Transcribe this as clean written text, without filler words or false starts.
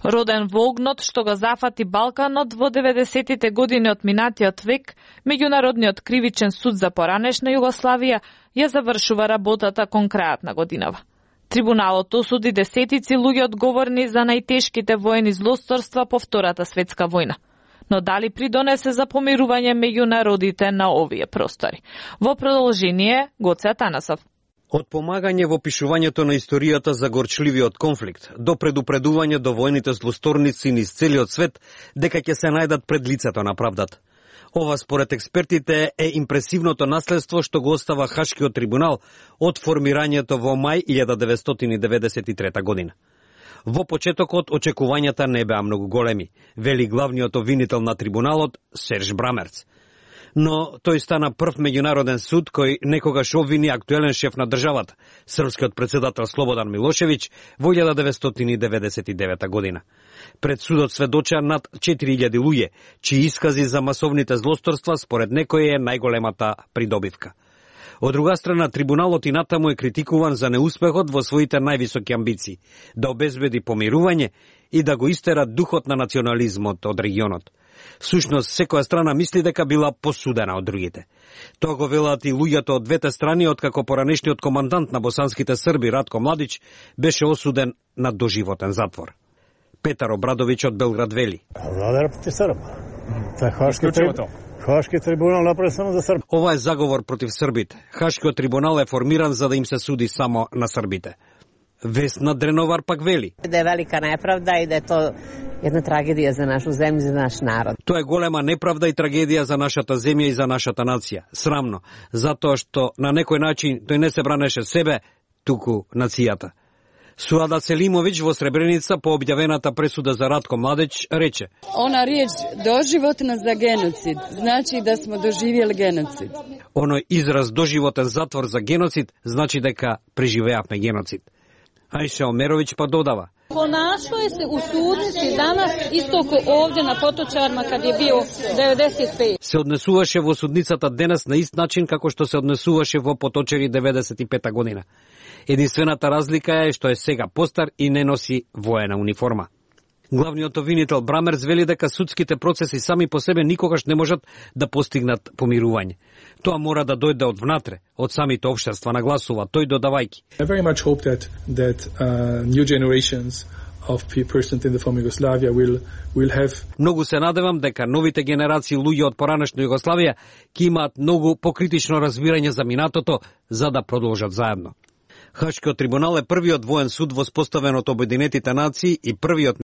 Роден во огнот што го зафати Балканот во 90-тите години од минатиот век, Меѓународниот кривичен суд за поранешна Југославија ја завршува работата кон крајот на годинава. Трибуналот осуди десетици луѓе одговорни за најтешките воени злосторства по Втората светска војна. Но дали придонесе за помирување меѓу народите на овие простори? Во продолжение, Гоце Атанасов. Од помагање во пишувањето на историјата за горчливиот конфликт, до предупредување до војните злосторници низ целиот свет, дека ќе се најдат пред лицето на правдата. Ова според експертите е импресивното наследство што го остава Хашкиот трибунал од формирањето во мај 1993 година. Во почетокот очекувањата не беа многу големи, вели главниот обвинител на трибуналот Серж Брамерц. Но тој стана прв меѓународен суд кој некогаш обвини актуелен шеф на државата, српскиот председател Слободан Милошевиќ, во 1999 година. Пред судот сведоча над 4000 луѓе, чии искази за масовните злосторства според некој е најголемата придобивка. Од друга страна, трибуналот и натаму е критикуван за неуспехот во своите највисоки амбиции, да обезбеди помирување и да го истера духот на национализмот од регионот. Всушност, секоја страна мисли дека била посудена од другите. Тоа го велат и луѓето од двете страни, откако поранешниот командант на босанските срби Ратко Младич беше осуден на доживотен затвор. Петар Обрадовиќ од Белград вели: Влада против Срб. Хашки трибунал направи само за Срб. Ова е заговор против србите. Хашкиот трибунал е формиран за да им се суди само на србите. Весна Дреновар пак вели: Да е велика неправда и да е то една трагедија за нашу земја и за наш народ. Тоа е голема неправда и трагедија за нашата земја и за нашата нација. Срамно, затоа што на некој начин тој не се бранеше себе, туку нацијата. Суада Селимовиќ во Сребреница по објавената пресуда за Ратко Младич рече: Она реч доживотна за геноцид, значи да смо доживели геноцид. Оној израз доживотен затвор за геноцид значи дека преживеавме геноцид. Ајша Омеровиќ па додава: Ponašao je se u sudnici danas isto ko ovdje na Potočarima kad je bio 95. Се однесуваше во судницата денес на ист начин како што се однесуваше во Поточари 95 година. Единствената разлика е што е сега постар и не носи воена униформа. Главниот обвинител Брамерц вели дека судските процеси сами по себе никогаш не можат да постигнат помирување. Тоа мора да дојде од внатре, од самите општества, нагласува тој додавајќи. I very much hope that new generations of persons in the former Yugoslavia will have. Многу се надевам дека новите генерации луѓе од поранешна Југославија ќе имаат многу покритично разбирање за минатото за да продолжат заедно. Хашкиот трибунал е првиот воен суд воспоставен од Обединетите нации и првиот